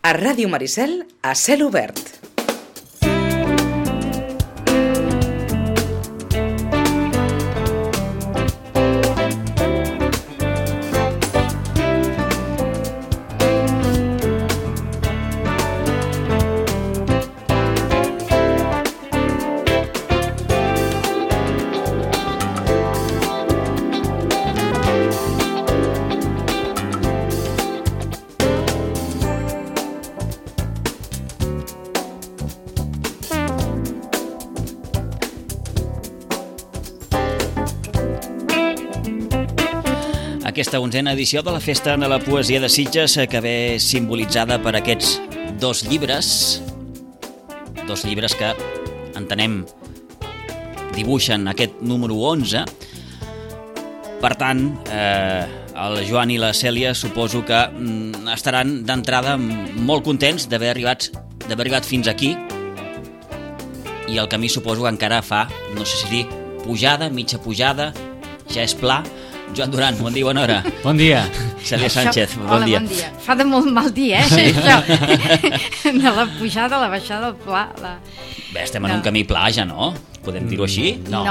A Ràdio Maricel, a cel obert. Aquesta 11a edició de la Festa de la Poesia de Sitges que ve simbolitzada per aquests dos llibres que entenem dibuixen aquest número 11. Per tant, el Joan i la Cèlia suposo que estaran d'entrada molt contents d'haver arribat fins aquí, i el camí suposo que encara fa, no sé si dir pujada, mitja pujada, ja és pla. Joan Duran, bon dia, bona hora. Bon dia. Cèlia Sánchez, bon dia. Hola, bon dia. Fa de molt mal dia, sí. Això. De la pujada, la baixada, el pla. Bé, estem en un camí pla ja, no? Podem dir-ho així? No,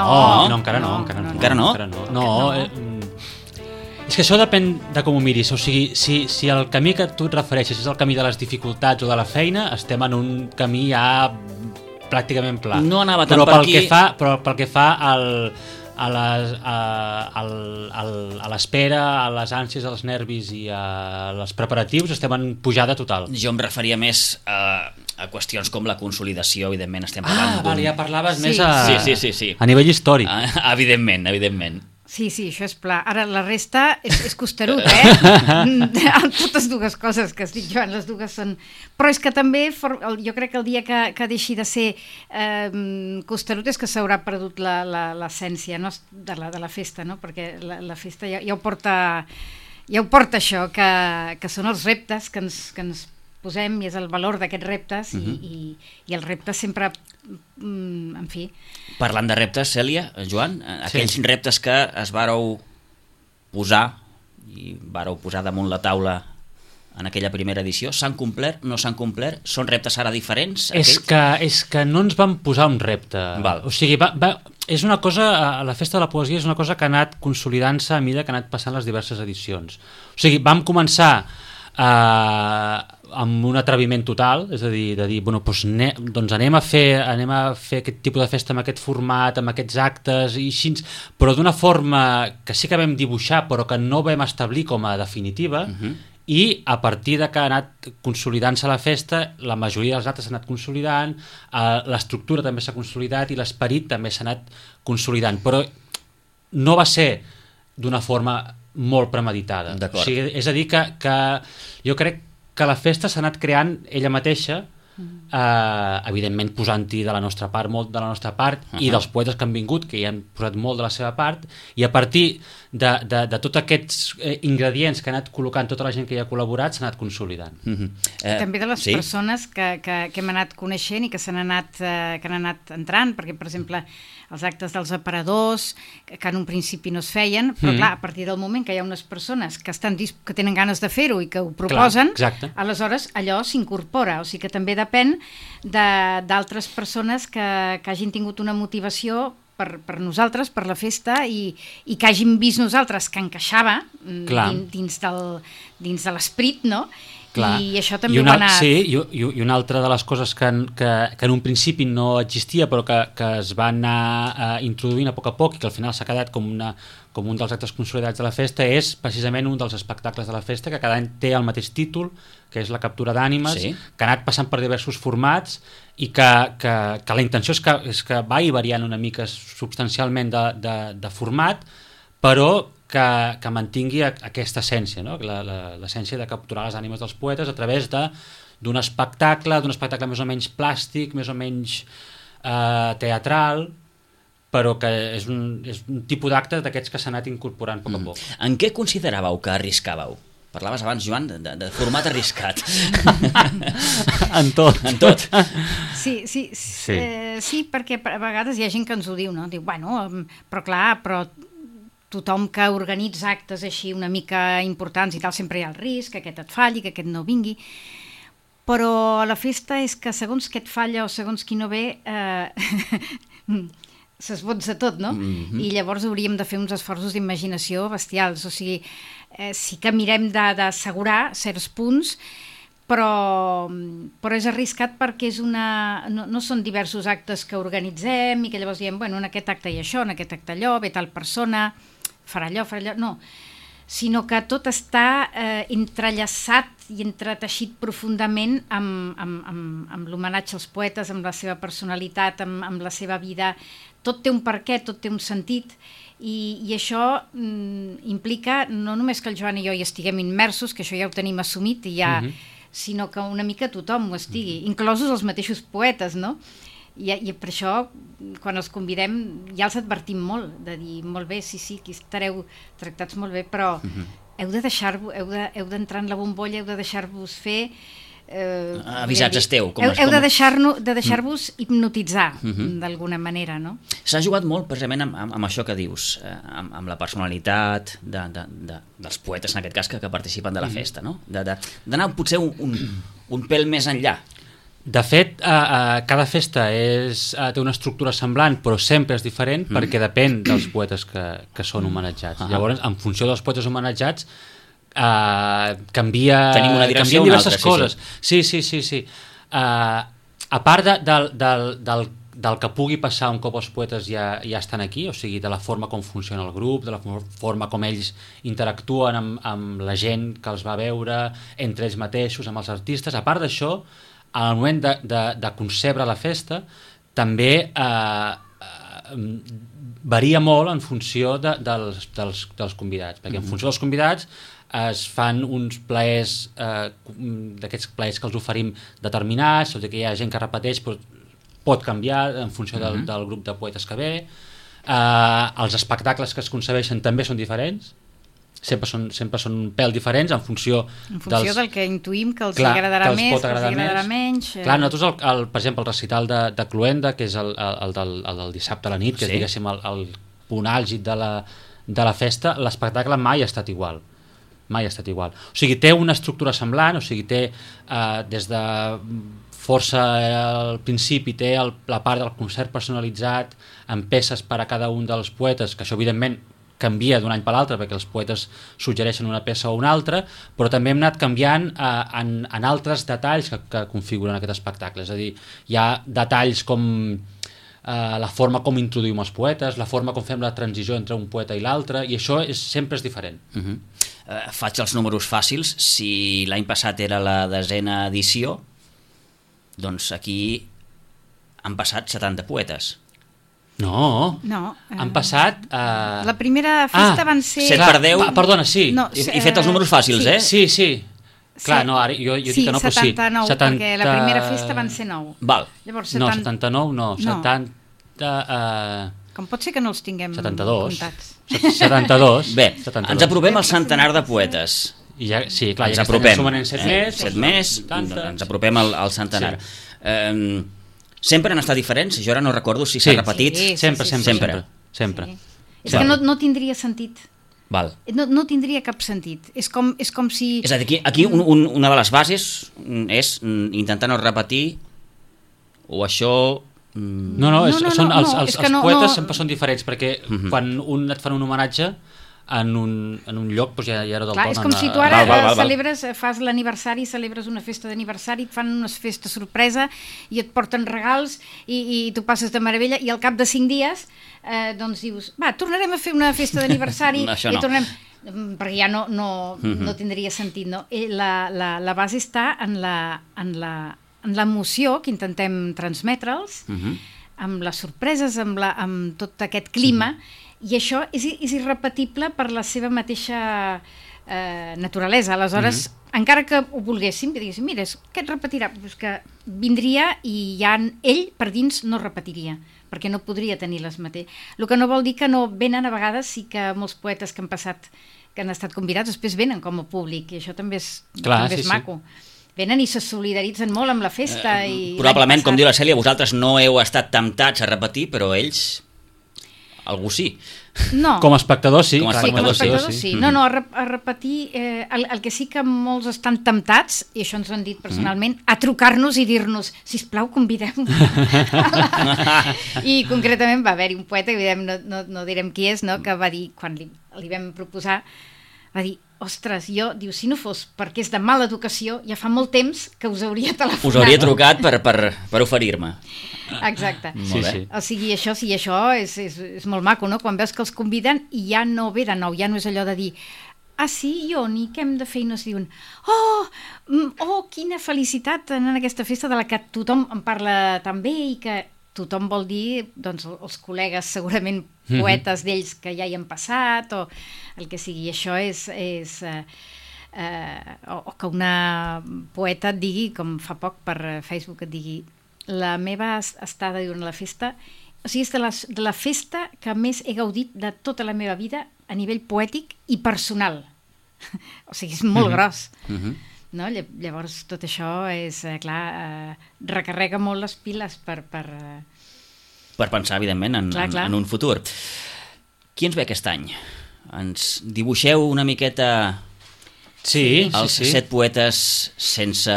encara no. Encara no? No, és que això depèn de com ho miris. O sigui, si el camí que tu et refereixes és el camí de les dificultats o de la feina, estem en un camí ja pràcticament pla. No anava tant per aquí. Però pel que fa a l'espera, a les ànsies, als nervis i als preparatius, estem en pujada total. Jo em referia més a qüestions com la consolidació, evidentment estem parlant vale, ja parlaves més sí. A nivell històric. Evidentment. Sí, això és pla. Ara la resta és costerut, amb totes dues coses que has dit, Joan, les dues són... Però és que també, jo crec que el dia que deixi de ser costerut és que s'haurà perdut l'essència, no? de la festa, no? Perquè la festa ja ho porta això, que són els reptes que ens posem, i és el valor d'aquests reptes, i els reptes sempre, en fi... Parlant de reptes, Cèlia, Joan, aquells reptes que es vàreu posar i vàreu posar damunt la taula en aquella primera edició, s'han complert, no s'han complert? Són reptes ara diferents? És que no ens vam posar un repte. Val. O sigui, és una cosa, la Festa de la Poesia és una cosa que ha anat consolidant-se a mesura que ha anat passant les diverses edicions. O sigui, vam començar amb un atreviment total, és a dir, doncs anem a fer aquest tipus de festa amb aquest format, amb aquests actes i així, però d'una forma que sí que vam dibuixar però que no vam establir com a definitiva, i a partir de que ha anat consolidant-se la festa, la majoria dels actes s'ha anat consolidant, l'estructura també s'ha consolidat i l'esperit també s'ha anat consolidant, però no va ser d'una forma molt premeditada. O sigui, és a dir, que jo crec que la festa s'ha anat creant ella mateixa, evidentment posant-hi de la nostra part, molt de la nostra part, i dels poetes que han vingut, que hi han posat molt de la seva part, i a partir de tots aquests ingredients que ha anat col·locant tota la gent que hi ha col·laborat, s'ha anat consolidant. També de les persones que hem anat coneixent i que han anat entrant, perquè, per exemple, els actes dels aparadors, que en un principi no es feien, però clar, a partir del moment que hi ha unes persones que tenen ganes de fer-ho i que ho proposen, aleshores allò s'incorpora, o sigui que també depèn d'altres persones que hagin tingut una motivació per nosaltres, per la festa, i que hagin vist nosaltres que encaixava dins de l'esperit, no? Clar. I això també ho ha anat... Sí, i una altra de les coses que en un principi no existia però que es va anar introduint a poc i que al final s'ha quedat com un dels actes consolidats de la festa és precisament un dels espectacles de la festa que cada any té el mateix títol, que és la captura d'ànimes, que ha anat passant per diversos formats i que la intenció és que vagi variant una mica substancialment de format, però que mantingui aquesta essència, no? L'essència de capturar les ànimes dels poetes a través d'un espectacle més o menys plàstic, més o menys teatral, però que és un tipus d'acte d'aquests que s'ha anat incorporant a poc. En què consideràveu que arriscàveu? Parlaves abans, Joan, de format arriscat. En tot. Sí, perquè a vegades hi ha gent que ens ho diu, no? Diu, però tothom que organitza actes així una mica importants i tal, sempre hi ha el risc que aquest et falli, que aquest no vingui. però la festa és que segons què et falla o segons qui no ve, s'esbotza tot, no? I llavors hauríem de fer uns esforços d'imaginació bestials, o sigui, sí que mirem d'assegurar certs punts, però és arriscat perquè no són diversos actes que organitzem i que llavors diem, bueno, en aquest acte hi ha això, en aquest acte allò, ve tal persona, farà allò, no, sinó que tot està entrellaçat i entreteixit profundament amb l'homenatge als poetes, amb la seva personalitat, amb la seva vida. Tot té un perquè, tot té un sentit, i això implica no només que el Joan i jo hi estiguem immersos, que això ja ho tenim assumit, sinó que una mica tothom ho estigui, inclosos els mateixos poetes, no? I per això, quan els convidem, ja els advertim molt, de dir, molt bé, sí, aquí estareu tractats molt bé, però heu de deixar-vos, heu d'entrar en la bombolla, heu de deixar-vos fer... avisats esteu. Heu de deixar-vos hipnotitzar, d'alguna manera, no? S'ha jugat molt, precisament, amb això que dius, amb la personalitat dels poetes, en aquest cas, que participen de la festa, no? D'anar potser un pèl més enllà. De fet, cada festa té una estructura semblant, però sempre és diferent perquè depèn dels poetes que són homenatjats. Llavors, en funció dels poetes homenatjats, canvien diverses coses. Sí. A part del que pugui passar un cop els poetes ja estan aquí, o sigui, de la forma com funciona el grup, de la forma com ells interactuen amb la gent que els va veure, entre ells mateixos, amb els artistes. A part d'això, al moment de concebre la festa, també varia molt en funció dels convidats, perquè en funció dels convidats es fan uns plaers, d'aquests plaers que els oferim determinats, o que hi ha gent que repeteix, però pot canviar en funció del grup de poetes que ve. Els espectacles que es concebeixen també són diferents, sempre són un pèl diferents en funció del que intuïm que els agradarà més, que els agradarà menys. Clar, nosaltres, per exemple, el recital de Cluenda, que és el del dissabte a la nit, que és, diguéssim, el punt àlgid de la festa, l'espectacle mai ha estat igual. O sigui, té una estructura semblant, o sigui, té des de força al principi, té la part del concert personalitzat amb peces per a cada un dels poetes, que això evidentment canvia d'un any per l'altre perquè els poetes suggereixen una peça o una altra, però també hem anat canviant en altres detalls que configuren aquest espectacle. És a dir, hi ha detalls com la forma com introduïm els poetes, la forma com fem la transició entre un poeta i l'altre, i això sempre és diferent. Faig els números fàcils. Si l'any passat era la 10ª edició, doncs aquí han passat 70 poetes. No. Han passat... La primera festa van ser... 7 per 10... Perdona, sí. He fet els números fàcils, Sí. Clar, no, ara jo dic que no, però sí. 79, perquè la primera festa van ser 9. Val. Llavors, 79 no, 70... Com pot ser que no els tinguem 72. comptats? 72. Bé, ens apropem al centenar de poetes. Sí, clar, ens apropem. Sumen en 7 més. 7 més, ens apropem al centenar. Sempre han estat diferents? Jo ara no recordo si s'ha repetit. Sempre. És que no tindria sentit. Val. No tindria cap sentit. És com si... És a dir, aquí una de les bases és intentar no repetir, o això... Els poetes sempre són diferents, perquè quan et fan un homenatge en un lloc, doncs ja era del tot... És com si tu ara fas l'aniversari, celebres una festa d'aniversari, et fan una festa sorpresa i et porten regals i tu passes de meravella, i al cap de 5 dies doncs dius, tornarem a fer una festa d'aniversari i tornem... Perquè ja no tindria sentit, no? La base està en l'emoció que intentem transmetre'ls, amb les sorpreses, amb tot aquest clima, i això és irrepetible per la seva mateixa naturalesa. Aleshores, encara que ho volguéssim, que diguéssim, mira, què et repetirà? Pues que vindria i ja ell per dins no repetiria, perquè no podria tenir les mateixes. El que no vol dir que no venen a vegades, sí que molts poetes que han passat, que han estat convidats, després venen com a públic, i això també és maco. Venen i se solidaritzen molt amb la festa. Probablement, com diu la Cèlia, vosaltres no heu estat temptats a repetir, però ells... algú sí. No. Com a espectador, sí. Com a clar, espectador, sí. No, a repetir, el que sí que molts estan temptats, i això ens ho han dit personalment, a trucar-nos i dir-nos, sisplau, convidem. I concretament va haver-hi un poeta, que no direm qui és, no? Que va dir, quan li vam proposar, va dir, ostres, diu, si no fos perquè és de mala educació, ja fa molt temps que us hauria telefonat. Us hauria trucat per oferir-me. Exacte. Sí. O sigui, això és molt maco, no? Quan veus que els conviden i ja no ve de nou, ja no és allò de dir, sí, ni què hem de fer? I no es diuen, quina felicitat en aquesta festa de la que tothom en parla tan bé i que tothom vol dir, doncs, els col·legues segurament poetes d'ells que ja hi han passat o el que sigui. Això és o que una poeta et digui, com fa poc per Facebook et digui, la meva estada durant la festa, o sigui, és de la festa que més he gaudit de tota la meva vida a nivell poètic i personal. O sigui, és molt gros. No? Llavors tot això és, clar, recarrega molt les piles per pensar, evidentment, en un futur. Qui ens ve aquest any? Ens dibuixeu una miqueta els 7 poetes sense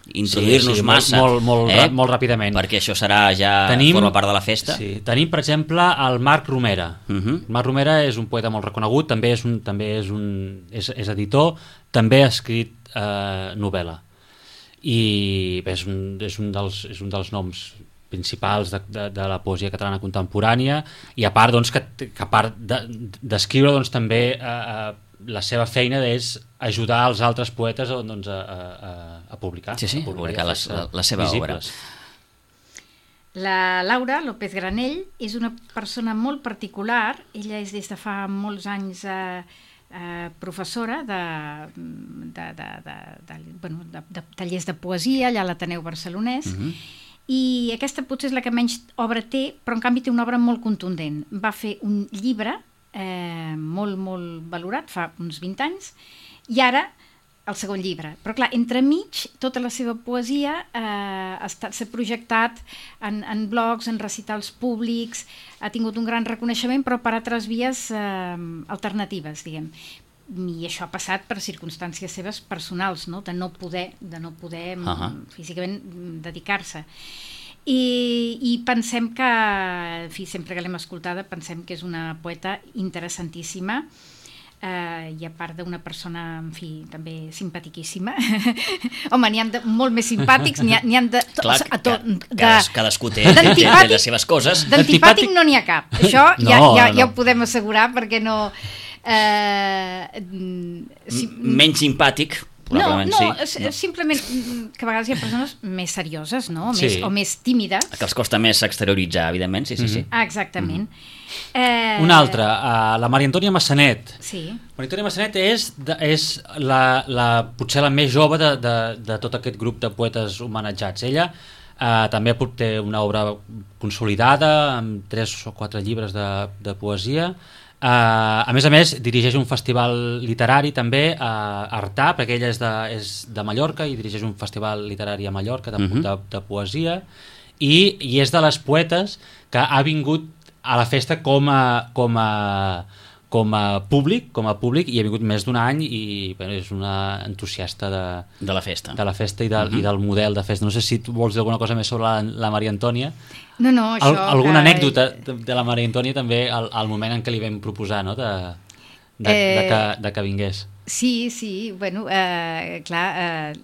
introduir-nos massa. Molt ràpidament. Perquè això serà forma part de la festa. Sí. Tenim, per exemple, el Marc Romera. Marc Romera és un poeta molt reconegut, també és editor, també ha escrit novel·la. I bé, és un dels noms principals de la poesia catalana contemporània, i a part, doncs, que a part d'escriure, doncs, també la seva feina és ajudar els altres poetes doncs, a publicar. Sí, a publicar la seva obra. La Laura López Granell és una persona molt particular. Ella és des de fa molts anys professora de tallers de poesia allà a l'Ateneu Barcelonès, i aquesta potser és la que menys obra té, però en canvi té una obra molt contundent. Va fer un llibre molt, molt valorat fa uns 20 anys, i ara el segon llibre. Però clar, entremig, tota la seva poesia s'ha projectat en blogs, en recitals públics, ha tingut un gran reconeixement, però per altres vies alternatives, diguem. I això ha passat per circumstàncies seves personals, no? De no poder físicament dedicar-se. I pensem que, en fi, sempre que l'hem escoltada, pensem que és una poeta interessantíssima, i a part d'una persona, en fi, també simpatiquíssima. Home, n'hi ha de molt més simpàtics, n'hi ha de... Cadascú té les seves coses. D'antipàtic no n'hi ha cap. Això ja ho podem assegurar, perquè no... Menys simpàtic, probablement sí. Simplement que a vegades hi ha persones més serioses, no? O més tímides. Que els costa més exterioritzar, evidentment, sí. Exactament. Una altra, la Maria Antònia Massanet. Sí. Maria Antònia Massanet és potser la més jove de tot aquest grup de poetes homenatjats. Ella també té una obra consolidada amb 3 o 4 llibres de poesia. A més, dirigeix un festival literari també a Artà, perquè ella és de Mallorca i dirigeix un festival literari a Mallorca de poesia, i és de les poetes que ha vingut a la festa com a públic, i ha vingut més d'un any, i és una entusiasta de la festa i del model de festa. No sé si tu vols dir alguna cosa més sobre la Maria Antònia. No, això... Alguna anècdota de la Maria Antònia també al moment en què li vam proposar, no? de que vingués. Sí, bueno, clar,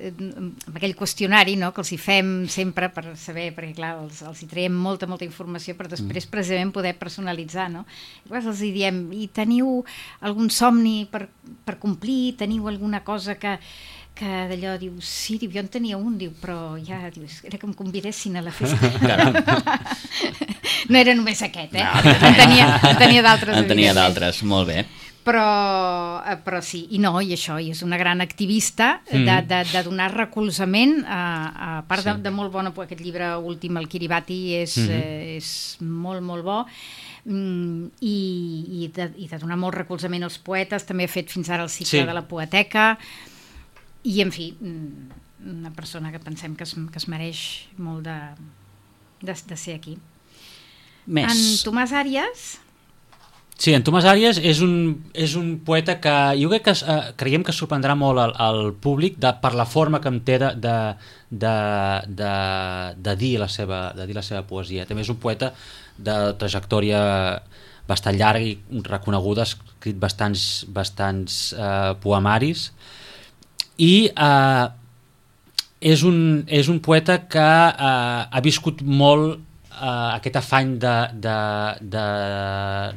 amb aquell qüestionari, no?, que els hi fem sempre per saber, perquè clar, els hi traiem molta informació per després precisament poder personalitzar, no? Llavors els hi diem, i teniu algun somni per complir? Teniu alguna cosa que d'allò, diu, sí, jo en tenia un, diu, però ja, diu, era que em convidessin a la festa. No era només aquest, en tenia d'altres. En tenia d'altres, molt bé. Però sí, i això, i és una gran activista de donar recolzament, a part de molt bona, aquest llibre últim, el Kiribati, és molt, molt bo, i de donar molt recolzament als poetes. També ha fet fins ara el cicle de la poeteca, i en fi, una persona que pensem que es mereix molt de ser aquí. Més. En Tomàs Àries Sí, en Tomàs Àries és un poeta que jo crec que creiem que sorprendrà molt al públic per la forma que en té de dir la seva poesia. També és un poeta de trajectòria bastant llarga i reconeguda, ha escrit bastants poemaris i és un poeta que ha viscut molt aquest afany de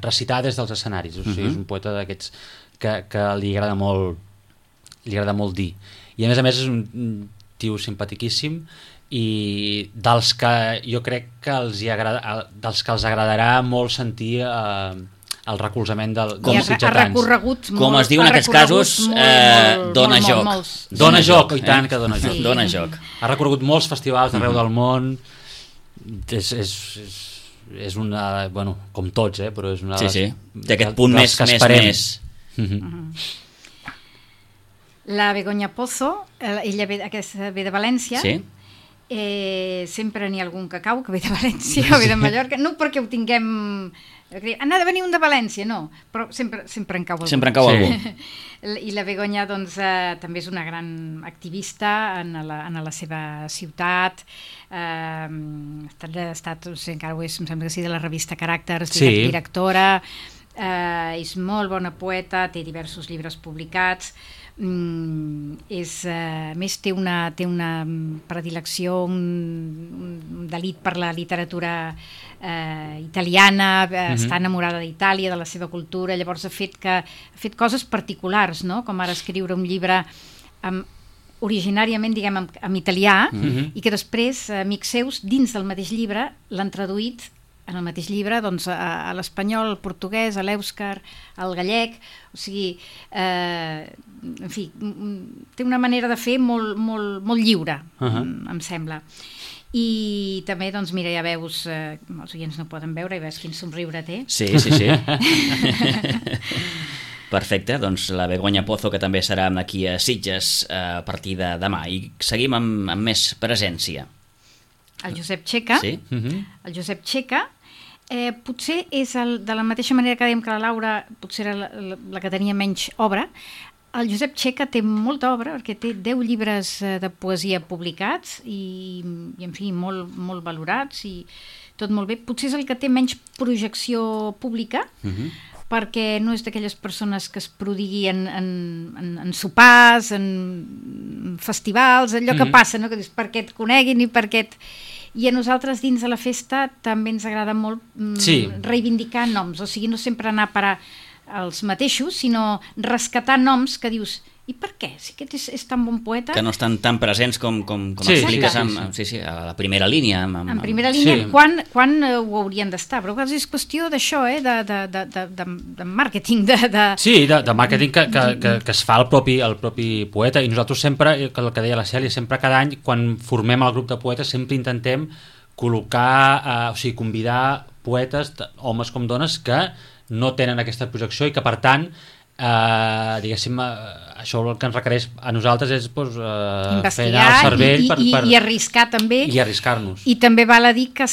recitar des dels escenaris. O sigui, és un poeta d'aquests que li agrada molt dir. I a més és un tio simpatiquíssim i dels que jo crec que els agradarà molt sentir el recolzament dels sitgetans. Com es diu en aquests casos, dona joc. Dona joc, i tant que dona joc. Dona joc. Ha recorregut molts festivals d'arreu del món. És una, bueno, com tots, però és una d'aquest punt més la Begoña Pozo, ella ve de València. Sempre n'hi ha algun que cau que ve de València o ve de Mallorca, no perquè ho tinguem n'ha de venir un de València, no, però sempre en cau algú. Sempre en cau algú. I la Begoña doncs, també és una gran activista en la seva ciutat. Ha estat, no sé, encara ho és, em sembla que sí, de la revista Caràcters, directora. És molt bona poeta, té diversos llibres publicats. A més té una predilecció, un delit per la literatura italiana, està enamorada d'Itàlia, de la seva cultura. Llavors ha fet coses particulars, no? Com ara escriure un llibre originàriament, diguem, en italià, i que després amics seus dins del mateix llibre l'han traduït en el mateix llibre doncs, a l'espanyol, al portuguès, a l'èuscar, al gallec. O sigui, en fi, té una manera de fer molt lliure, em sembla. I també, doncs, mira, ja veus, els oients no poden veure, i veus quin somriure té. Sí. Perfecte, doncs la Begoña Pozo, que també serà aquí a Sitges a partir de demà. I seguim amb més presència. El Josep Txeca. Sí. El Josep Txeca potser és de la mateixa manera que dèiem que la Laura potser era la que tenia menys obra. El Josep Txeca té molta obra perquè té 10 llibres de poesia publicats i en fi, molt valorats i tot molt bé. Potser és el que té menys projecció pública, perquè no és d'aquelles persones que es prodigui en sopars, en festivals, allò que passa, no? Que dius, perquè et coneguin i perquè I a nosaltres dins de la festa també ens agrada molt reivindicar noms, o sigui, no sempre anar a parar als mateixos, sinó rescatar noms que dius, i per què? Si aquest és tan bon poeta... Que no estan tan presents com expliques a la primera línia. En primera línia, quan ho haurien d'estar? Però és qüestió d'això, de màrqueting. Sí, de màrqueting que es fa el propi poeta, i nosaltres sempre, el que deia la Cèlia, sempre cada any, quan formem el grup de poetes, sempre intentem col·locar, o sigui, convidar poetes, homes com dones, que no tenen aquesta projecció i que, per tant, diguéssim, això el que ens requereix a nosaltres és fer anar el cervell i arriscar també, i arriscar-nos. I també val a dir que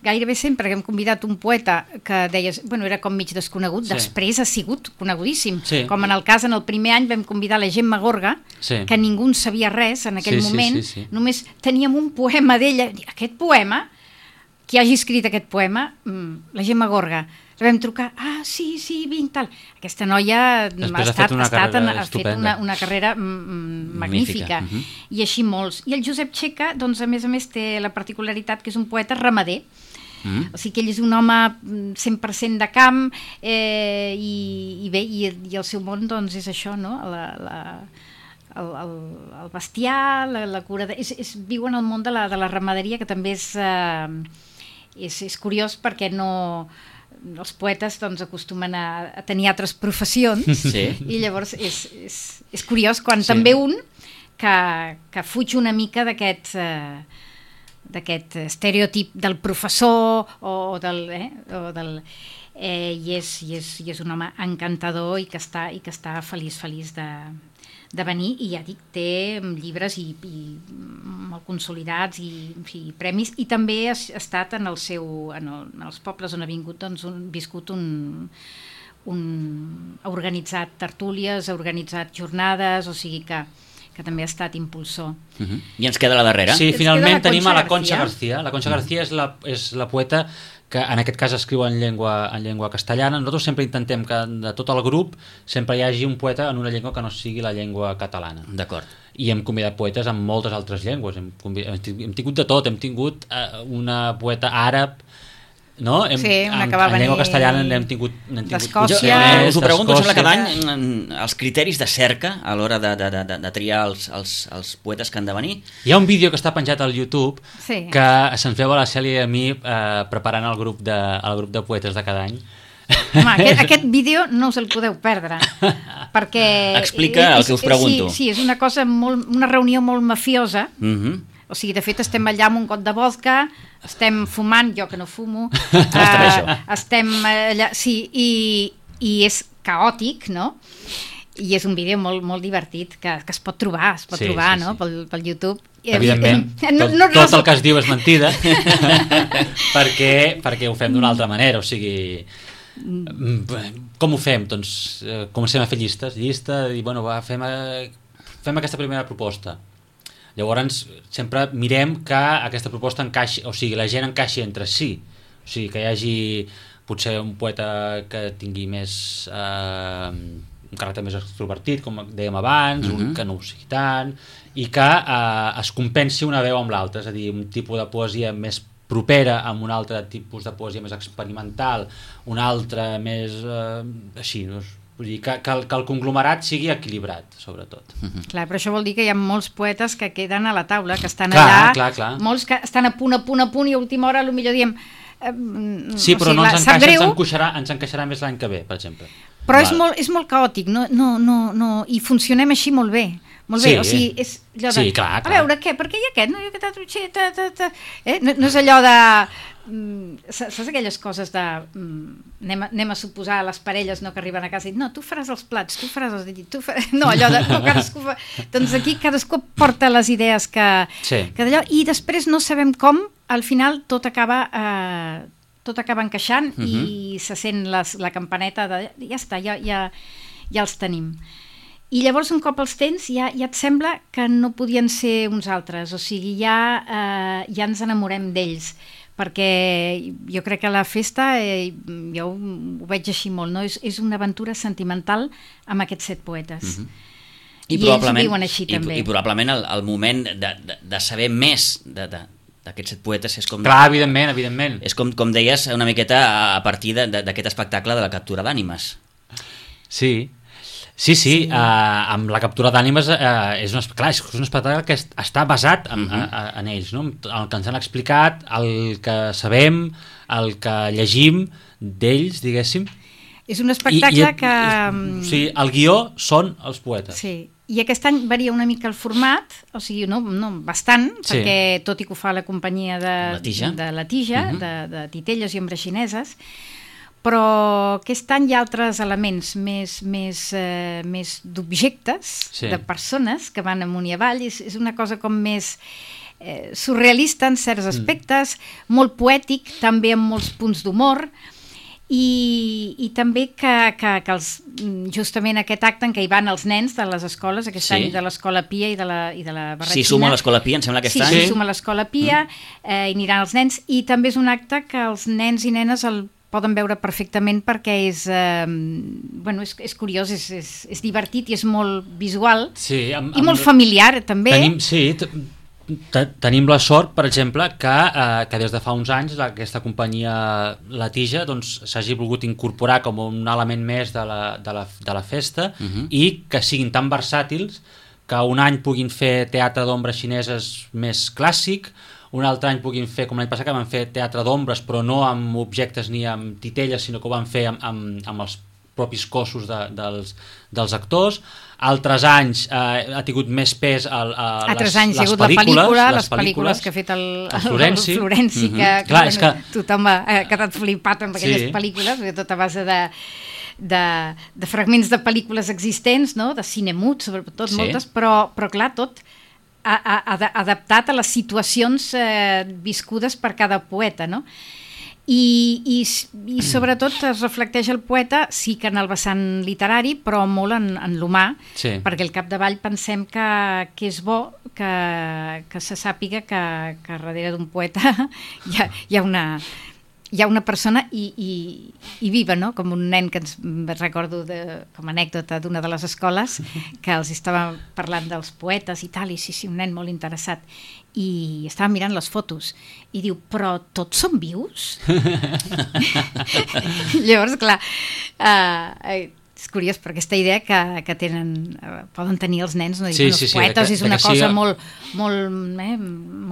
gairebé sempre que hem convidat un poeta que deies, bueno, era com mig desconegut, després ha sigut conegudíssim, com en el cas, en el primer any vam convidar la Gemma Gorga, que ningú en sabia res en aquell moment, només teníem un poema d'ella, aquest poema, qui hagi escrit aquest poema, la Gemma Gorga. Vam trucar, sí, vinc, tal. Aquesta noia ha fet una carrera magnífica. I així molts. I el Josep Txeca, doncs, a més, té la particularitat que és un poeta ramader. O sigui que ell és un home 100% de camp i el seu món, doncs, és això, no? El bestiar, la cura... Viu en el món de la ramaderia, que també és curiós perquè els poetes doncs, acostumen a tenir altres professions i llavors és curiós quan també un que fuig una mica d'aquest estereotip del professor i és un home encantador i que està feliç de venir, i ja dic, té llibres i molt consolidats i premis, i també ha estat en els pobles on ha vingut, doncs, ha organitzat tertúlies, ha organitzat jornades, o sigui que també ha estat impulsor. I ens queda la darrera. Sí, finalment tenim a la Concha García. La Concha García és la poeta que en aquest cas escriu en llengua castellana. Nosaltres sempre intentem que de tot el grup sempre hi hagi un poeta en una llengua que no sigui la llengua catalana. D'acord. I hem convidat poetes en moltes altres llengües. Hem tingut de tot. Hem tingut una poeta àrab, no? Una que va venir en llengua castellana n'hem tingut d'Escòcia. Us ho pregunto, sembla que cada any els criteris de cerca a l'hora de triar els poetes que han de venir. Hi ha un vídeo que està penjat al YouTube que se'ns veu a la Cèlia i a mi preparant el grup de poetes de cada any. Home, aquest vídeo no us el podeu perdre, perquè explica el que us pregunto. Sí, és una cosa una reunió molt mafiosa. O sigui, de fet, estem allà amb un got de vodka, estem fumant, jo que no fumo, estem allà, sí, i és caòtic, no? I és un vídeo molt, molt divertit que es pot trobar, no? Pel YouTube. Evidentment, tot el que es diu és mentida, perquè ho fem d'una altra manera, o sigui... Com ho fem? Doncs comencem a fer llistes, i bueno, fem aquesta primera proposta. Llavors sempre mirem que aquesta proposta encaixi, o sigui, la gent encaixi entre si, o sigui, que hi hagi potser un poeta que tingui més un caràcter més extrovertit, com dèiem abans, un que no ho sigui tant, i que es compensi una veu amb l'altra, és a dir, un tipus de poesia més propera amb un altre tipus de poesia més experimental, un altre més així, no? Vull dir que el conglomerat sigui equilibrat, sobretot. Clar, però això vol dir que hi ha molts poetes que queden a la taula, que estan allà, clar. Molts que estan a punt, i a última hora potser diem... Sí, però no ens encaixa, ens encaixarà més l'any que ve, per exemple. Però és molt caòtic, no, i funcionem així molt bé. Molt bé, o sigui, és allò de... Sí, clar. A veure, què? Per què hi ha aquest? No hi ha aquest... No és allò de... Saps aquelles coses de... Anem a suposar les parelles que arriben a casa i no, tu faràs els plats, tu faràs els dits, no, allò de... No, cadascú fa... Doncs aquí cadascú porta les idees que d'allò, i després no sabem com, al final tot acaba encaixant i se sent la campaneta de... Ja està, ja els tenim. I llavors un cop els tens ja et sembla que no podien ser uns altres, o sigui, ja ens enamorem d'ells, perquè jo crec que la festa, jo ho veig així molt, no? És una aventura sentimental amb aquests 7 poetes. I ells ho viuen així també. I probablement el moment de saber més d'aquests 7 poetes és com... Clar, evidentment. És com deies una miqueta a partir d'aquest espectacle de la captura d'ànimes. Sí, amb la captura d'ànimes és un espectacle que està basat en ells, no? El que ens han explicat, el que sabem, el que llegim d'ells, diguéssim. És un espectacle que... Sí, el guió són els poetes. Sí, i aquest any varia una mica el format, o sigui, no bastant, perquè tot i que ho fa la companyia de la Tija, de titelles i ombres xineses, però aquest any hi ha altres elements més d'objectes, de persones que van amunt i avall, és una cosa com més surrealista en certs aspectes, molt poètic, també amb molts punts d'humor, i també que justament aquest acte en què hi van els nens de les escoles, aquest any de l'Escola Pia i de la Barretxina. Sí, suma l'Escola Pia, em sembla aquest any. Sí, suma l'Escola Pia, i aniran els nens, i també és un acte que els nens i nenes el poden veure perfectament perquè és curiós, és divertit i és molt visual i molt familiar també. Tenim la sort, per exemple, que des de fa uns anys aquesta companyia La Tija s'hagi volgut incorporar com un element més de la festa i que siguin tan versàtils que un any puguin fer teatre d'ombres xineses més clàssic, un altre any puguin fer, com l'any passat que van fer teatre d'ombres, però no amb objectes ni amb titelles, sinó que ho van fer amb els propis cossos dels actors. Altres anys ha tingut més pes altres anys hi ha hagut les pel·lícules que ha fet el Florenci, que tothom ha quedat flipat amb aquelles pel·lícules, tot a base de fragments de pel·lícules existents, no? De cine mut, sobretot moltes, però clar, tot adaptat a les situacions viscudes per cada poeta, no? I sobretot es reflecteix el poeta, sí que en el vessant literari, però molt en l'humà, perquè al capdavall pensem que és bo que se sàpiga que darrere d'un poeta hi ha una persona i viva, no? Com un nen que ens recordo com a anècdota d'una de les escoles que els estava parlant dels poetes i tal, i sí, un nen molt interessat, i estava mirant les fotos i diu, però tots són vius? Llavors, clar, és curiós per aquesta idea que poden tenir els nens, no? Els poetes és una cosa molt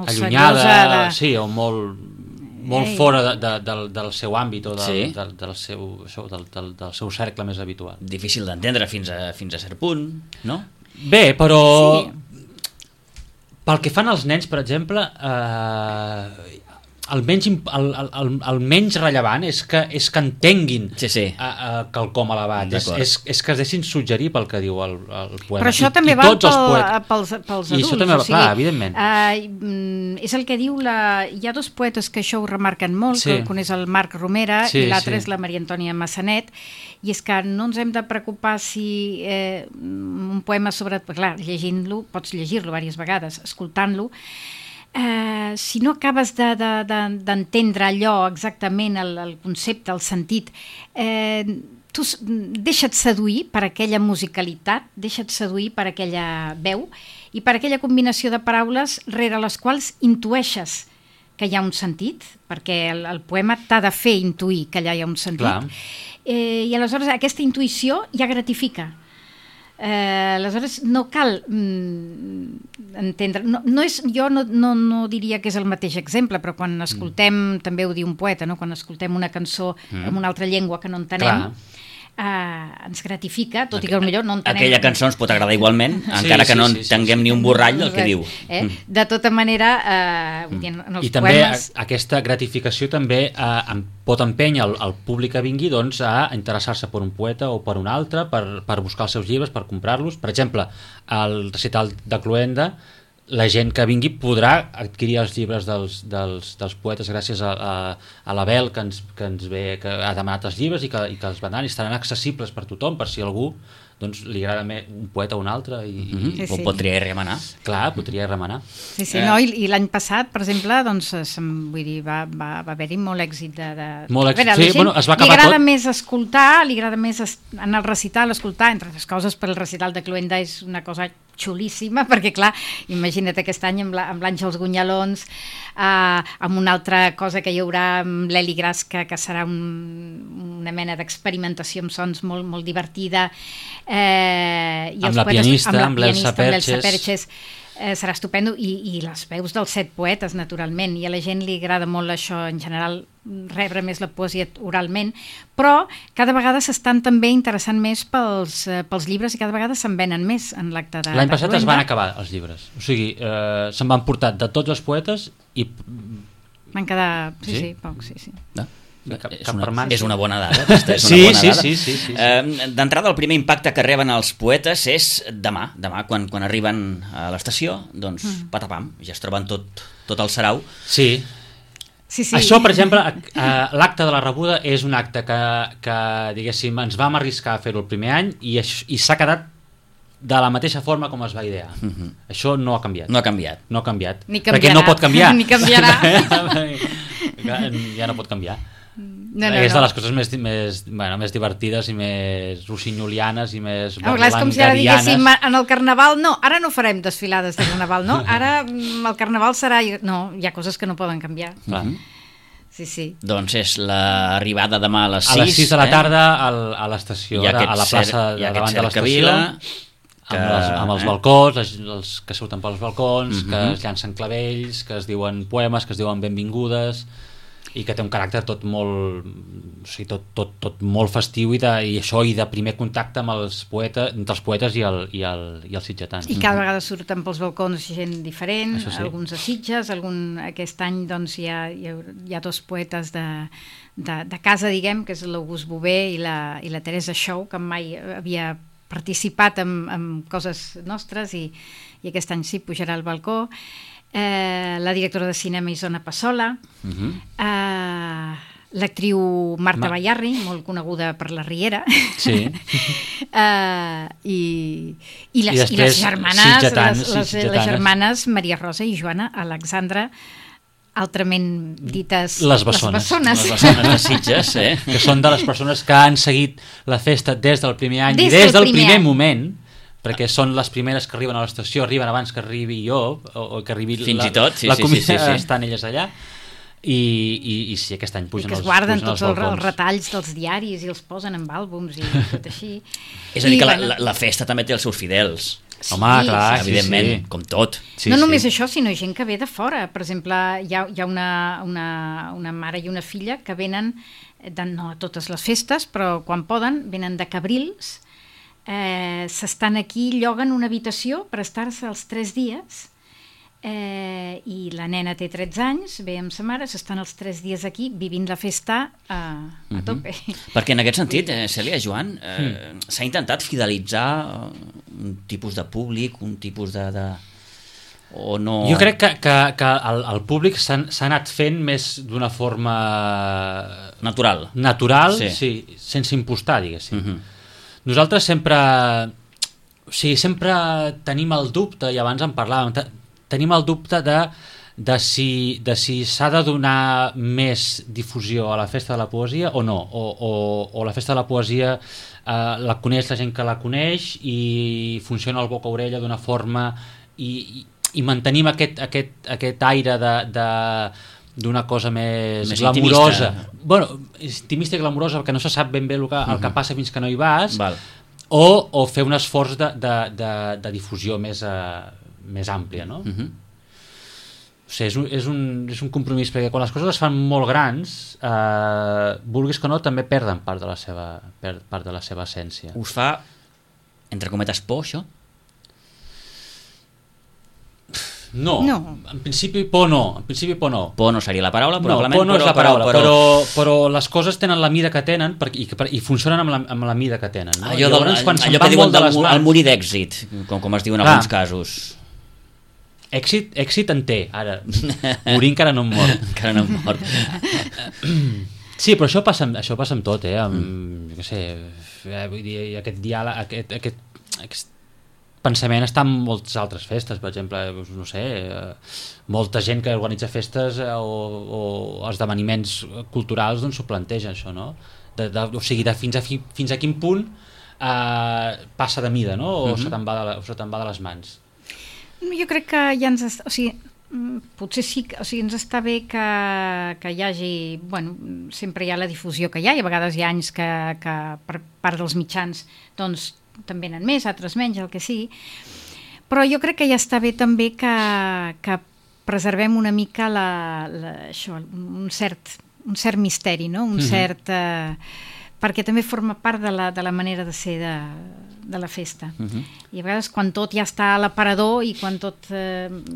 allunyada, sí, o molt fora del seu àmbit o del seu cercle més habitual. Difícil d'entendre fins a cert punt, no? Bé, però pel que fan els nens, per exemple, el menys rellevant és que entenguin quelcom elevat, és que es deixin suggerir pel que diu el poema. Però això també va pels adults. I això també va, clar, evidentment. És el que diu, hi ha dos poetes que això ho remarquen molt, que un és el Marc Romera i l'altre és la Maria Antònia Massanet, i és que no ens hem de preocupar si un poema sobre... Clar, llegint-lo, pots llegir-lo diverses vegades, escoltant-lo, si no acabes d'entendre allò exactament, el concepte, el sentit, tu deixa't seduir per aquella musicalitat, deixa't seduir per aquella veu i per aquella combinació de paraules rere les quals intueixes que hi ha un sentit, perquè el poema t'ha de fer intuir que allà hi ha un sentit. I aleshores aquesta intuïció ja gratifica. Aleshores no cal entendre, jo no diria que és el mateix exemple, però quan escoltem, també ho diu un poeta, no? Quan escoltem una cançó en una altra llengua que no entenem, ens gratifica, tot i que potser no entenem. Aquella cançó ens pot agradar igualment, encara que no entenguem ni un borrall del que diu. De tota manera, i també aquesta gratificació també pot empènyer el públic que vingui a interessar-se per un poeta o per un altre, per buscar els seus llibres, per comprar-los. Per exemple, al recital de Cloenda, la gent que vingui podrà adquirir els llibres dels poetes gràcies a l'Abel que ens ve, que ha demanat els llibres i que els vendran i estaran accessibles per tothom, per si algú li agrada un poeta o un altre o pot triar i remenar. Clar, pot triar i remenar. I l'any passat, per exemple, va haver-hi molt èxit molt èxit, es va acabar tot. Li agrada més escoltar, li agrada més anar al recital, escoltar, entre les coses, per el recital de Cloenda és una cosa xulíssima, perquè clar, imagina't aquest any amb l'Àngels Gunyalons, amb una altra cosa que hi haurà amb l'Eli Gras, que serà una mena d'experimentació amb sons molt, molt divertida, amb la pianista, amb l'Elsa Perches, serà estupendo, i les veus dels 7 poetes, naturalment, i a la gent li agrada molt això, en general, rebre més la poesia oralment, però cada vegada s'estan també interessant més pels llibres i cada vegada se'n venen més en l'acte de L'any passat es van acabar els llibres, o sigui, se'n van portar de tots els poetes i... Van quedar, pocs, sí. No? És una bona dada. Sí. D'entrada, el primer impacte que reben els poetes és demà quan arriben a l'estació, doncs patapam, ja es troben tot el sarau. Sí. Això, per exemple, l'acte de la rebuda és un acte que diguéssim, ens vam arriscar a fer-ho el primer any i s'ha quedat de la mateixa forma com es va idear. Això no ha canviat. No ha canviat. Ni canviarà. Perquè no pot canviar. Ni canviarà. Ja no pot canviar. És de les coses més divertides i més rossinyolianes i més berlangarianes. És com si ara diguéssim en el Carnaval, ara no farem desfilades de Carnaval, no? Ara el Carnaval serà... No, hi ha coses que no poden canviar. Sí. Doncs és l'arribada demà a les 6. A les 6 de la tarda a l'estació, a la plaça davant de l'estació, amb els balcons, els que surten pels balcons, que es llancen clavells, que es diuen poemes, que es diuen benvingudes... i que té un caràcter tot molt, o sigui, tot molt festiu i de primer contacte amb els poetes, entre els poetes i els sitgetans. I cada vegada surten pels balcons gent diferent, sí. alguns a Sitges, aquest any doncs, hi ha dos poetes de casa, diguem, que és l'August Bové i la Teresa Xou, que mai havia participat en coses nostres i aquest any sí pujarà al balcó. La directora de cinema Isona Passola, l'actriu Marta Bayarri, molt coneguda per La Riera, sí. i les germanes, les germanes Maria Rosa i Joana Alexandra, altrament dites les bessones de Sitges, que són de les persones que han seguit la festa des del primer any i des del primer moment, perquè són les primeres que arriben a l'estació, arriben abans que arribi jo, o que arribi la comissió, estan elles allà, i sí, aquest any pugen els balcons. I que es guarden tots els retalls dels diaris i els posen en àlbums i tot així. És a dir, que la festa també té els seus fidels. Home, clar, evidentment, com tot. No només això, sinó gent que ve de fora. Per exemple, hi ha una mare i una filla que venen, no a totes les festes, però quan poden, venen de Cabrils, s'estan aquí, lloguen una habitació per estar-se els 3 dies, i la nena té 13 anys, ve amb sa mare, s'estan els 3 dies aquí vivint la festa a tope. Perquè en aquest sentit, Cèlia, Joan, s'ha intentat fidelitzar un tipus de públic, un tipus de... o no... Jo crec que el públic s'ha anat fent més d'una forma... natural, sí, sense impostar, diguéssim. Nosaltres sempre tenim el dubte, i abans en parlàvem, tenim el dubte de si s'ha de donar més difusió a la Festa de la Poesia o no, o la Festa de la Poesia la coneix la gent que la coneix i funciona el boca a orella d'una forma i mantenim aquest aire d'una cosa més glamurosa, intimista i glamurosa, perquè no se sap ben bé el que passa fins que no hi vas. O fer un esforç de difusió més àmplia, no? O sigui, és un compromís, perquè quan les coses es fan molt grans, vulguis que no, també perden part de la seva essència. Us fa, entre cometes, por, això? No, en principi por no. Por no seria la paraula, probablement. No, por no és la paraula, però les coses tenen la mida que tenen i funcionen amb la mida que tenen. No? Allò que diuen el morir d'èxit, com es diu en alguns casos. Èxit en té, ara. Morir encara no em mort. Encara no em mort. Sí, però això passa amb tot, jo què sé, vull dir, aquest diàleg, aquest pensament està en moltes altres festes, per exemple, no sé, molta gent que organitza festes o esdeveniments culturals doncs s'ho planteja, això, no? O sigui, fins a quin punt passa de mida, no? O se te'n va de les mans. Jo crec que ja potser sí, ens està bé que hi hagi, sempre hi ha la difusió que hi ha, i a vegades hi ha anys que per part dels mitjans doncs també n'han més, altres menys, el que sigui, però jo crec que ja està bé també que preservem una mica això, un cert misteri, no? Un cert... perquè també forma part de la manera de ser de la festa. I a vegades quan tot ja està a l'aparador i quan tot...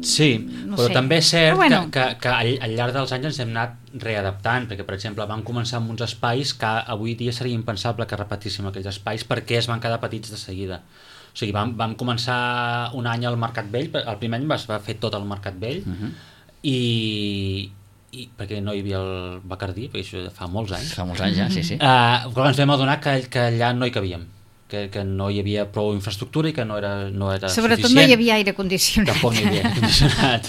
Sí, però també és cert que al llarg dels anys ens hem anat readaptant, perquè per exemple vam començar amb uns espais que avui dia seria impensable que repetíssim aquells espais perquè es van quedar petits de seguida. O sigui, vam començar un any al Mercat Vell, el primer any es va fer tot al Mercat Vell, i perquè no hi havia el Bacardí, perquè això fa molts anys. Fa molts anys ja, sí. Però ens vam adonar que allà no hi cabíem, que no hi havia prou infraestructura i que no era sobretot suficient. No hi havia aire condicionat. Tampoc no hi havia aire condicionat.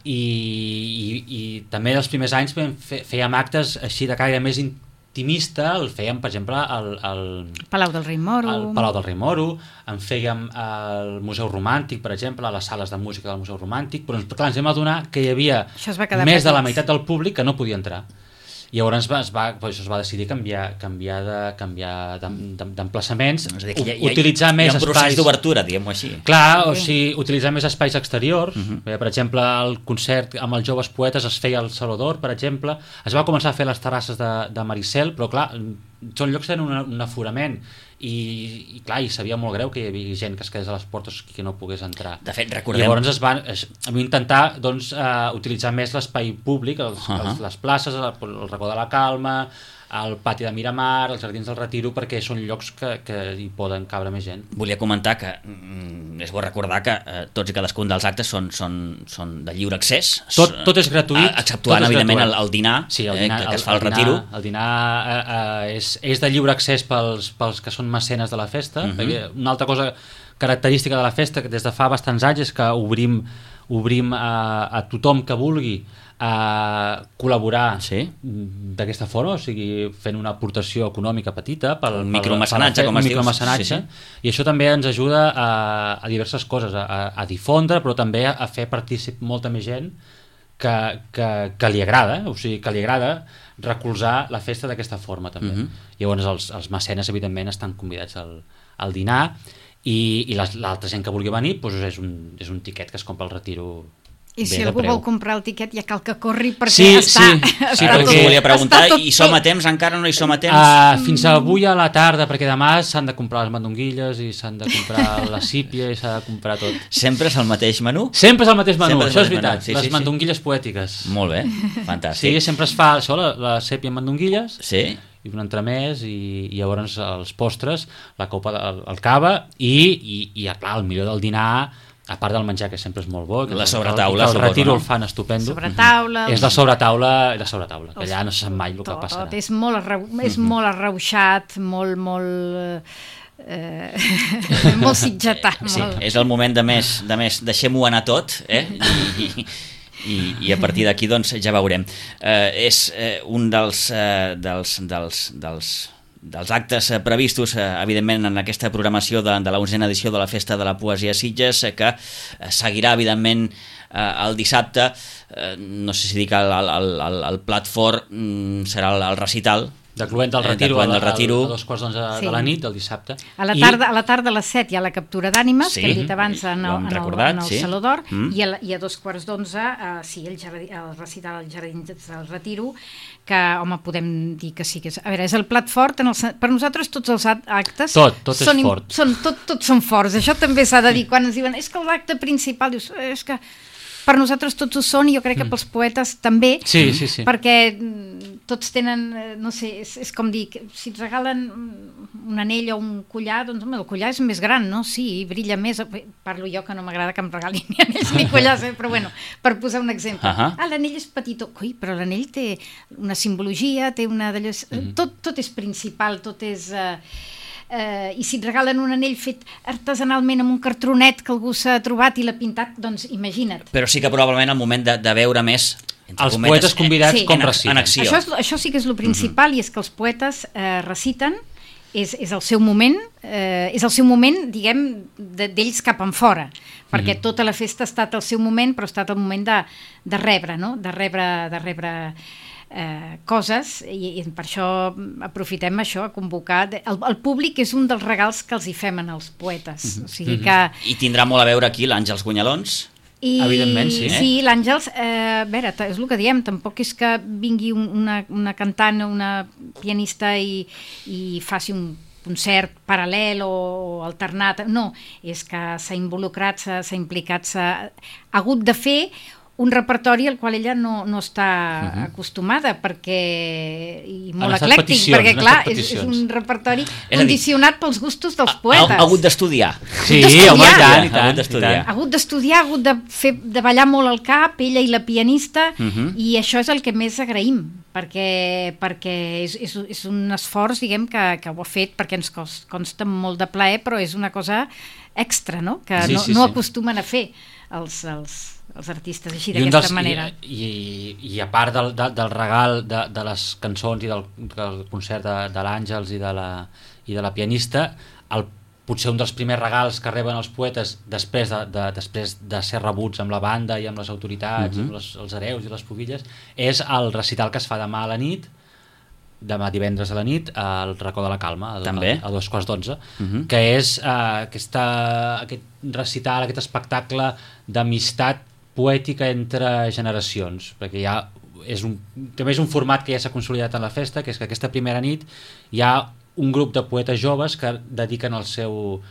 I també els primers anys fèiem actes així de caire més intimista, el fèiem, per exemple, al Palau del Rei Moro. Al Palau del Rei Moro, en fèiem al Museu Romàntic, per exemple, a les sales de música del Museu Romàntic, però clar, ens vam adonar que hi havia més de la meitat del públic que no podia entrar. I llavors es va decidir canviar d'emplaçaments, utilitzar més espais... Hi ha un procés d'obertura, diguem-ho així. Clar, o sigui, utilitzar més espais exteriors. Per exemple, el concert amb els joves poetes es feia al Salvador, per exemple. Es va començar a fer les terrasses de Maricel, però clar, són llocs que tenen un aforament i clar, i sabia molt greu que hi havia gent que es quedés a les portes que no pogués entrar. De fet, recordem... Llavors es van intentar doncs, utilitzar més l'espai públic, les places, el racó de la Calma, el pati de Miramar, els jardins del Retiro, perquè són llocs que hi poden cabre més gent. Volia comentar que és bo recordar que tots i cadascun dels actes són de lliure accés. Tot és gratuït. Exceptuant, evidentment, el dinar, sí, el dinar, que es fa al Retiro. El dinar és de lliure accés pels que són mecenes de la festa. Una altra cosa característica de la festa, que des de fa bastants anys, és que obrim a tothom que vulgui a col·laborar d'aquesta forma, o sigui, fent una aportació econòmica petita pel micromecenatge, com es diu. I això també ens ajuda a diverses coses, a difondre, però també a fer partícip molta més gent que li agrada, o sigui, que li agrada recolzar la festa d'aquesta forma també. Llavors els mecenes evidentment estan convidats al dinar i l'altra gent que vulgui venir és un tiquet que es compra al Retiro. I si algú vol comprar el tiquet ja cal que corri perquè Sí, perquè volia preguntar, i som a temps? Encara no hi som a temps? Fins avui a la tarda, perquè demà s'han de comprar les mandonguilles i s'han de comprar la sípia i s'ha de comprar tot. Sempre és el mateix menú? Sempre és el mateix menú, això és veritat, les mandonguilles poètiques. Molt bé, fantàstic. Sí, sempre es fa això, la sèpia amb mandonguilles, i un entremès, i llavors els postres, la copa, el cava, i clar, el millor del dinar, a part del menjar, que sempre és molt bo, la sobretaula, el Retiro el fan estupendo, és la sobretaula, que allà no se sap mai el que passarà. És molt arreuixat, molt molt sitgetat. Sí, és el moment de més deixem-ho anar tot, i a partir d'aquí doncs ja veurem. És un dels actes previstos, evidentment, en aquesta programació de la 11a edició de la Festa de la Poesia Sitges, que seguirà, evidentment, el dissabte. No sé si dic el plat fort serà el recital de Cluent del Retiro, a 2:11 de la nit del dissabte. A la tarda a les 7 hi ha la captura d'ànimes, que hem dit abans en el Saló d'Or, i a 2:15 el recital als Jardins del Retiro, que, home, podem dir que sí que és... A veure, és el plat fort, per nosaltres tots els actes... Tot és fort. Tots són forts, això també s'ha de dir, quan ens diuen, és que l'acte principal, dius, és que... Per nosaltres tots ho són, i jo crec que pels poetes també, perquè tots tenen, no sé, és com dir, si et regalen un anell o un collar, doncs home, el collar és més gran, no? Sí, brilla més. Parlo jo, que no m'agrada que em regalin ni anells ni collars, però bueno, per posar un exemple. L'anell és petitó, però l'anell té una simbologia, té una d'allò... Tot és principal, tot és... I si et regalen un anell fet artesanalment amb un cartronet que algú s'ha trobat i l'ha pintat, doncs imagina't. Però sí que probablement el moment de veure més els poetes convidats com reciten en acció. Això sí que és el principal, i és que els poetes reciten, és el seu moment, diguem, d'ells cap en fora, perquè tota la festa ha estat el seu moment, però ha estat el moment de rebre, no? De rebre coses, i per això aprofitem això, a convocar el públic. És un dels regals que els hi fem als poetes, o sigui que... I tindrà molt a veure aquí l'Àngels Guanyalons? Evidentment, sí. Sí, l'Àngels, a veure, és el que diem, tampoc és que vingui una cantant o una pianista i faci un concert paral·lel o alternat, no, és que s'ha involucrat, s'ha implicat, s'ha hagut de fer un repertori al qual ella no està acostumada, i molt eclèctic, perquè clar, és un repertori condicionat pels gustos dels poetes. Ha hagut d'estudiar. Sí, home, i tant. Ha hagut d'estudiar, ha hagut de ballar molt al cap, ella i la pianista, i això és el que més agraïm, perquè és un esforç, diguem, que ho ha fet, perquè ens consta molt de plaer, però és una cosa extra, no? Que no acostumen a fer els artistes així, d'aquesta manera. I a part del regal de les cançons i del concert de l'Àngels i de la pianista, potser un dels primers regals que reben els poetes després de ser rebuts amb la banda i amb les autoritats, amb els hereus i les pubilles, és el recital que es fa demà a la nit, demà divendres a la nit al Racó de la Calma a 2:11, que és aquest recital, aquest espectacle d'amistat poètica entre generacions, perquè també és un format que ja s'ha consolidat en la festa, que és que aquesta primera nit hi ha un grup de poetes joves que dediquen el seu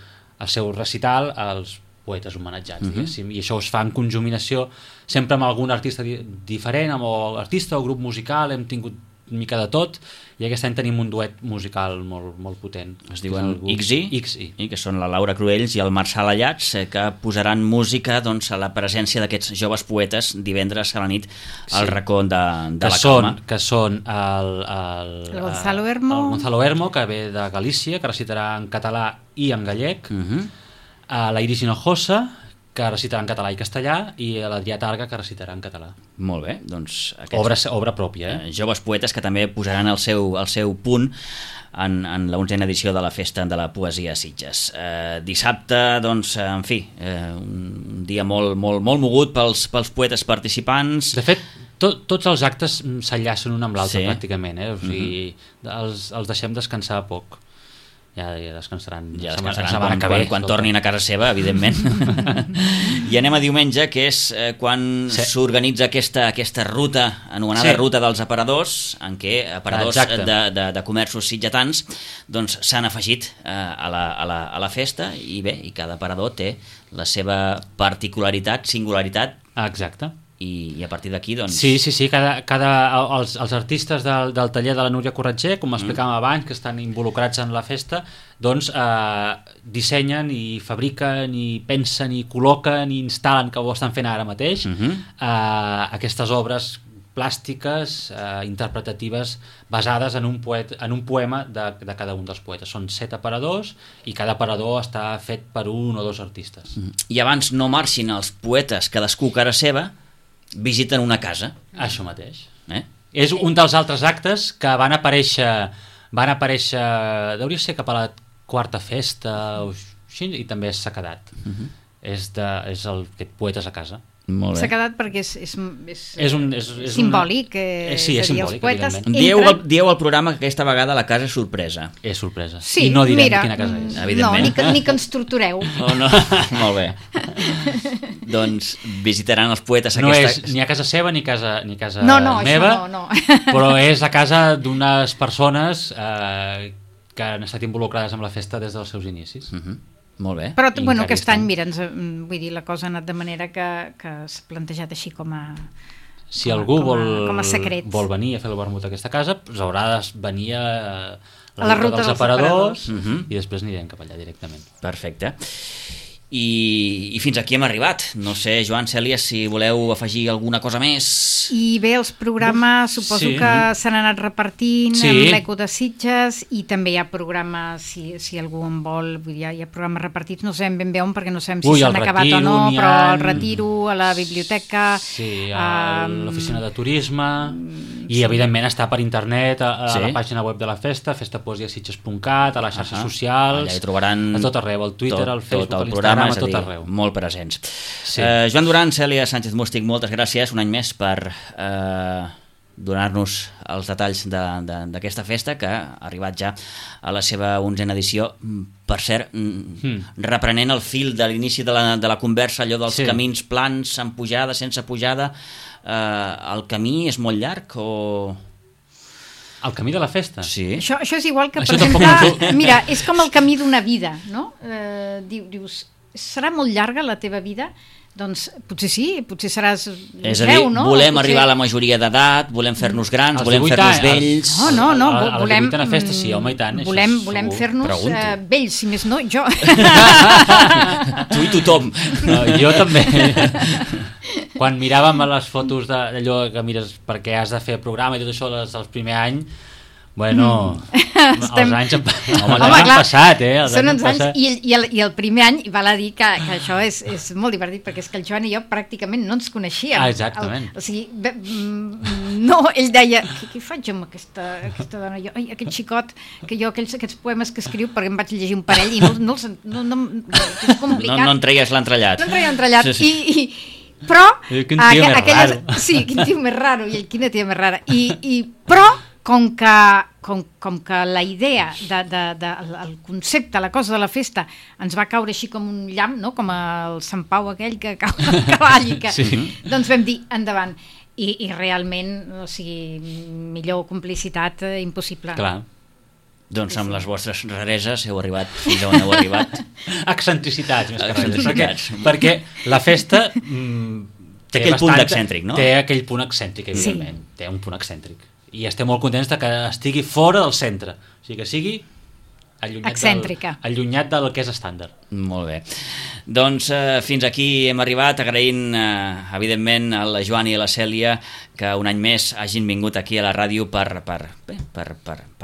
recital als poetes homenatjats, diguéssim, i això es fa en conjuminació sempre amb algun artista diferent, amb artista o grup musical. Hem tingut una mica de tot, i aquest any tenim un duet musical molt, molt potent. Es diuen XI, que són la Laura Cruells i el Marçal Allats, que posaran música doncs, a la presència d'aquests joves poetes divendres a la nit al Racó de la Calma. Que són el Gonzalo Hermo. El Gonzalo Hermo, que ve de Galícia, que recitarà en català i en gallec, la Iris Hinojosa, que recitarà en català i castellà, i l'Adrià Targa, que recitarà en català. Molt bé, doncs obra pròpia, joves poetes que també posaran el seu punt en la 11ª edició de la Festa de la Poesia a Sitges. Dissabte, doncs, en fi, un dia molt, molt, molt mogut pels poetes participants. De fet, tots els actes s'enllacen un amb l'altre, pràcticament, o sigui, els deixem descansar poc. Ja descansaran quan tornin a casa seva, evidentment. I anem a diumenge, que és quan s'organitza aquesta ruta, anomenada Ruta dels Aparadors, en què aparadors de comerços sitgetans doncs s'han afegit a la festa, i bé, i cada aparador té la seva particularitat, singularitat. Exacte. I a partir d'aquí, doncs... Sí, els artistes del taller de la Núria Corretger, com explicàvem abans, que estan involucrats en la festa, doncs dissenyen i fabriquen i pensen i col·loquen i instal·len, que ho estan fent ara mateix, aquestes obres plàstiques, interpretatives, basades en un poema de cada un dels poetes. Són 7 aparadors i cada aparador està fet per un o dos artistes. I abans no marxin els poetes, cadascú cara seva, visiten una casa. Això mateix. És un dels altres actes que van aparèixer, deuria ser cap a la 4ª festa o així, i també s'ha quedat. És aquest Poetes a Casa. S'ha quedat perquè és simbòlic, sí, és simbòlic, poetes dieu al programa que aquesta vegada la casa és sorpresa. És sorpresa. Sí, i no direm quina casa és. Evidentment. No, ni que ens tortureu. No. Molt bé. Doncs visitaran els poetes no és ni a casa seva ni casa meva, no. Però és a casa d'unes persones que han estat involucrades amb la festa des dels seus inicis. Molt bé. Però aquest any, mira, vull dir, la cosa ha anat de manera que s'ha plantejat així com a... Si algú secret vol venir a fer el vermut a aquesta casa, doncs haurà de venir a la ruta dels aparadors i després anirem cap allà directament. Perfecte. I fins aquí hem arribat. No sé, Joan, Cèlia, si voleu afegir alguna cosa més. I bé, els programes suposo que s'han anat repartint amb l'Eco de Sitges, i també hi ha programes, si algú en vol, vull dir, hi ha programes repartits, no sabem ben bé on, perquè no sabem si s'han acabat o no, però el Retiro, a la biblioteca, a l'oficina de turisme, i evidentment està per internet a la pàgina web de la festa, festapoesiasitges.cat, a les xarxes socials, allà hi trobaran a tot arreu, al Twitter, al Facebook, al Instagram, a tot arreu. Molt presents. Joan Duran, Cèlia Sánchez Mústic, moltes gràcies un any més per donar-nos els detalls d'aquesta festa, que ha arribat ja a la seva 11ª edició. Per cert, reprenent el fil de l'inici de la conversa, allò dels camins plans, amb pujada, sense pujada, el camí és molt llarg o... El camí de la festa? Sí. Això és igual que, per exemple, mira, és com el camí d'una vida, no? Dius, serà molt llarga la teva vida? Doncs potser sí, potser seràs és a dir, volem arribar a la majoria d'edat, volem fer-nos grans, volem fer-nos vells... No, a la 18a festa sí, home, i tant. Volem fer-nos vells, si més no, jo. Tu i tothom. No, jo també. Quan miràvem a les fotos d'allò que mires perquè has de fer programa i tot això el primer any, bueno, els anys han passat, són uns anys, i el primer any val a dir que això és molt divertit, perquè és que el Joan i jo pràcticament no ens coneixíem. Exactament. O sigui, no, ell deia, què faig amb aquesta dona? Aquest xicot, que jo aquests poemes que escriu, perquè em vaig llegir un parell i no és complicat. No en treies l'entrellat. No en treia l'entrellat, però... Quin tio més raro. Sí, quin tio més raro, i quina tia més rara. Però com com que la idea, el concepte, la cosa de la festa, ens va caure així com un llamp, no? Com el Sant Pau aquell que cau al cavall, i que, doncs vam dir, endavant. I realment, o sigui, millor complicitat impossible. Clar. Doncs amb les vostres rareses heu arribat fins on heu arribat. Excentricitats, més que res. Perquè la festa té aquell punt excèntric, no? Té aquell punt excèntric, evidentment. Sí. Té un punt excèntric. I estem molt contents que estigui fora del centre. O sigui, que sigui allunyat del que és estàndard. Molt bé. Doncs fins aquí hem arribat, agraint evidentment a la Joan i a la Cèlia que un any més hagin vingut aquí a la ràdio per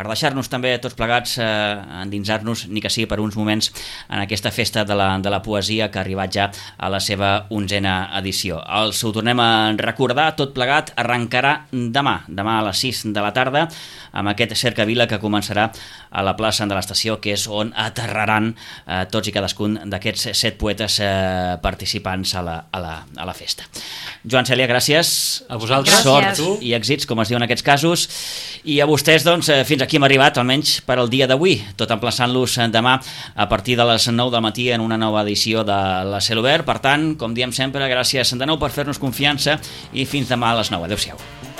deixar-nos també tots plegats endinsar-nos, ni que sigui per uns moments, en aquesta festa de la poesia que ha arribat ja a la seva 11a edició. Els ho tornem a recordar, tot plegat arrencarà demà a les 6 de la tarda, amb aquest cercavila que començarà a la plaça de l'estació, que és on aterraran tots i cadascun d'aquests 7 poetes participants a la festa. Joan, Cèlia, gràcies. A vosaltres. Sort i èxits, com es diu en aquests casos. I a vostès, doncs, fins aquí hem arribat, almenys per al dia d'avui, tot emplaçant-los demà a partir de les 9 del matí en una nova edició de la Cel Obert. Per tant, com diem sempre, gràcies de nou per fer-nos confiança i fins demà a les 9. Adéu-siau.